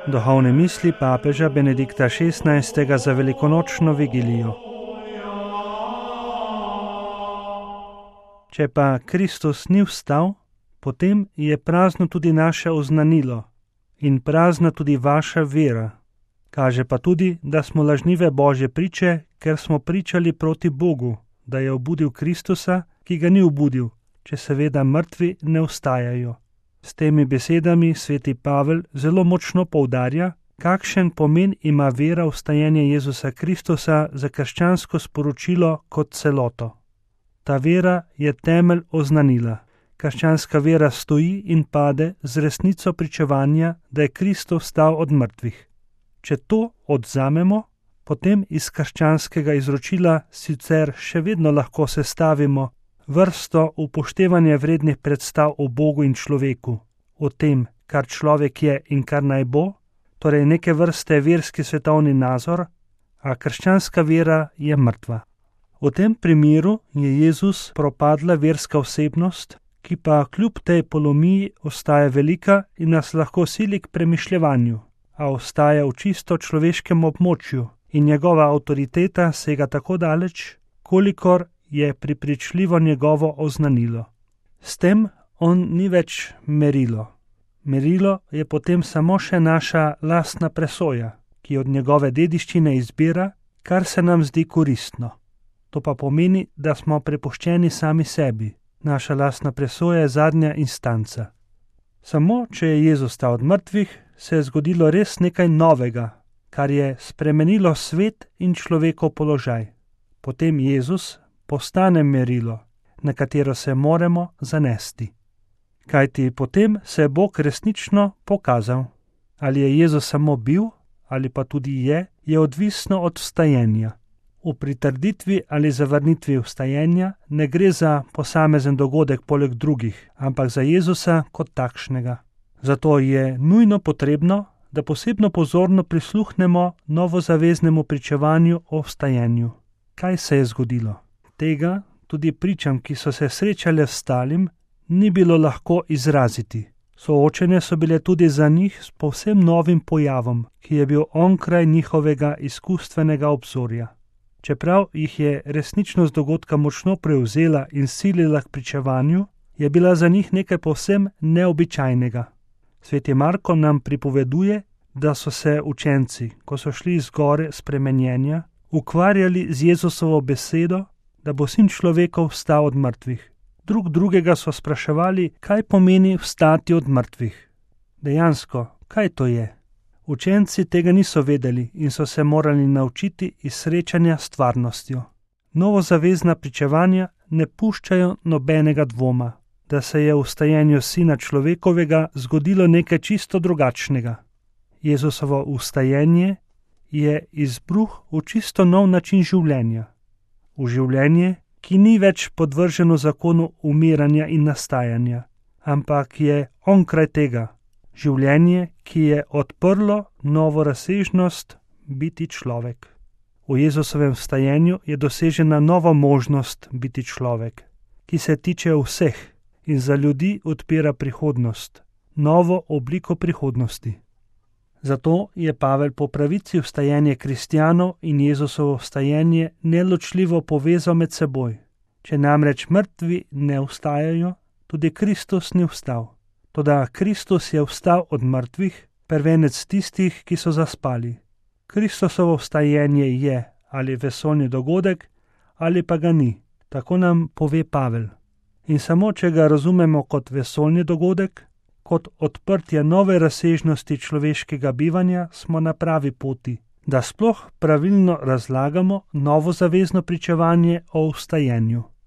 Duhovne misli papeža Benedikta XVI. Za velikonočno vigilijo. Če pa Kristus ni vstal, potem je prazno tudi naše oznanilo in prazna tudi vaša vera. Kaže pa tudi, da smo lažnive Božje priče, ker smo pričali proti Bogu, da je obudil Kristusa, ki ga ni obudil, če seveda mrtvi ne vstajajo. S temi besedami sveti Pavel zelo močno poudarja, kakšen pomen ima vera vstajenja Jezusa Kristusa za krščansko sporočilo kot celoto. Ta vera je temelj oznanila. Krščanska vera stoji in pade z resnico pričevanja, da je Kristus vstal od mrtvih. Če to odvzamemo, potem iz krščanskega izročila sicer še vedno lahko sestavimo vrsto upoštevanja vrednih predstav o Bogu in človeku, o tem, kar človek je in kar naj bo, torej neke vrste verski svetovni nazor, a krščanska vera je mrtva. V tem primeru je Jezus propadla verska osebnost, ki pa kljub tej polomiji ostaja velika in nas lahko sili k premišljevanju, a ostaja v čisto človeškem območju in njegova avtoriteta sega tako daleč, kolikor je prepričljivo njegovo oznanilo. S tem on ni več merilo. Merilo je potem samo še naša lastna presoja, ki od njegove dediščine izbira, kar se nam zdi koristno. To pa pomeni, da smo prepuščeni sami sebi. Naša lastna presoja je zadnja instanca. Samo, če je Jezus vstal od mrtvih, se je zgodilo res nekaj novega, kar je spremenilo svet in človekov položaj. Potem Jezus postane merilo, na katero se moramo zanesti. Kajti potem se je Bog resnično pokazal. Ali je Jezus samo bil, ali pa tudi je odvisno od vstajenja. V pritrditvi ali zavrnitvi vstajenja ne gre za posamezen dogodek poleg drugih, ampak za Jezusa kot takšnega. Zato je nujno potrebno, da posebno pozorno prisluhnemo novozaveznemu pričevanju o vstajenju. Kaj se je zgodilo? Tega tudi pričam, ki so se srečale s vstalim, ni bilo lahko izraziti. Soočene so bile tudi za njih s povsem novim pojavom, ki je bil onkraj njihovega izkustvenega obzorja. Čeprav jih je resničnost dogodka močno prevzela in silila k pričevanju, je bila za njih nekaj povsem neobičajnega. Sveti Marko nam pripoveduje, da so se učenci, ko so šli z gore spremenjenja, ukvarjali z Jezusovo besedo, da bo sin človekov vstal od mrtvih. Drugega so spraševali, kaj pomeni vstati od mrtvih. Dejansko, kaj to je? Učenci tega niso vedeli in so se morali naučiti iz srečanja s stvarnostjo. Novozavezna pričevanja ne puščajo nobenega dvoma, da se je v vstajenju sina človekovega zgodilo nekaj čisto drugačnega. Jezusovo vstajenje je izbruh v čisto nov način življenja. V življenje, ki ni več podvrženo zakonu umiranja in nastajanja, ampak je onkraj tega. Življenje, ki je odprlo novo razsežnost biti človek. V Jezusovem vstajenju je dosežena nova možnost biti človek, ki se tiče vseh in za ljudi odpira prihodnost, novo obliko prihodnosti. Zato je Pavel po pravici vstajenje kristjanov in Jezusovo vstajenje neločljivo povezal med seboj. Če namreč mrtvi ne vstajajo, tudi Kristus ni vstal. Toda Kristus je vstal od mrtvih, prvenec tistih, ki so zaspali. Kristusovo vstajenje je ali vesoljni dogodek, ali pa ga ni, tako nam pove Pavel. In samo, če ga razumemo kot vesoljni dogodek, kot odprtje nove razsežnosti človeškega bivanja, smo na pravi poti, da sploh pravilno razlagamo novozavezno pričevanje o vstajenju.